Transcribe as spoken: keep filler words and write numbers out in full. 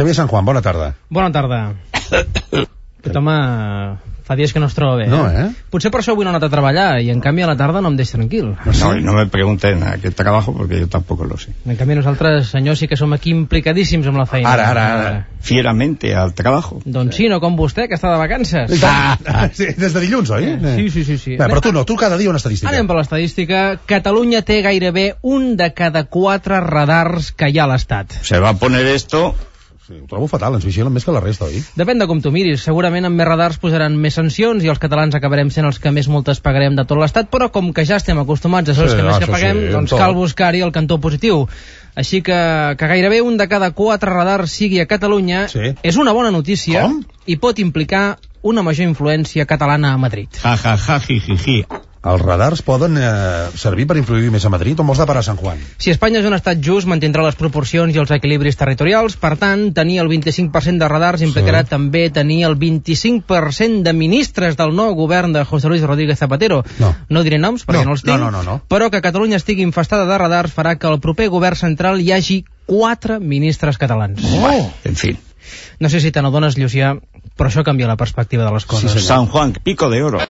Xavier San Juan, bona tarda. Bona tarda. Aquest home fa dies que no es troba bé. No, eh? Potser per això avui no ha anat a treballar i en canvi a la tarda no em deixa tranquil. No, no me pregunten a qué trabajo porque yo tampoco lo sé. En canvi nosaltres, senyors, sí que som aquí implicadíssims amb la feina. Ara, ara, ara. Fieramente al trabajo. Doncs sí, no com vostè, que està de vacances. Ah, ah, sí, des de dilluns, oi? Sí, sí, sí. sí. Bé, però tu no, tu cada dia una estadística. Anem per l'estadística. Catalunya té gairebé un de cada quatre radars que hi ha a l'Estat. Se va a poner esto... Sí, ho trobo fatal, ens vigilen més que la resta, oi? Depèn de com tu miris. Segurament amb més radars posaran més sancions i els catalans acabarem sent els que més multes pagarem de tot l'Estat, però com que ja estem acostumats a ser els Sí, que més que això paguem, sí, doncs tot. cal buscar-hi el cantó positiu. Així que que gairebé un de cada quatre radars sigui a Catalunya Sí. és una bona notícia. Com? I pot implicar una major influència catalana a Madrid. Ja, ja, ja, ji, ji, ji. Els radars poden eh, servir per influir més a Madrid o vols de parar a San Juan? Si Espanya és un estat just, mantindrà les proporcions i els equilibris territorials. Per tant, tenir el vint-i-cinc per cent de radars implicarà Sí. també tenir el vint-i-cinc per cent de ministres del nou govern de José Luis Rodríguez Zapatero. No. No diré noms perquè No, no, els tinc, no, no, no, no. però que Catalunya estigui infestada de radars farà que al proper govern central hi hagi quatre ministres catalans. Oh! En fin. No sé si te n'adones, Llucià, però això canvia la perspectiva de les coses. Sí, senyor. San Juan, pico de oro.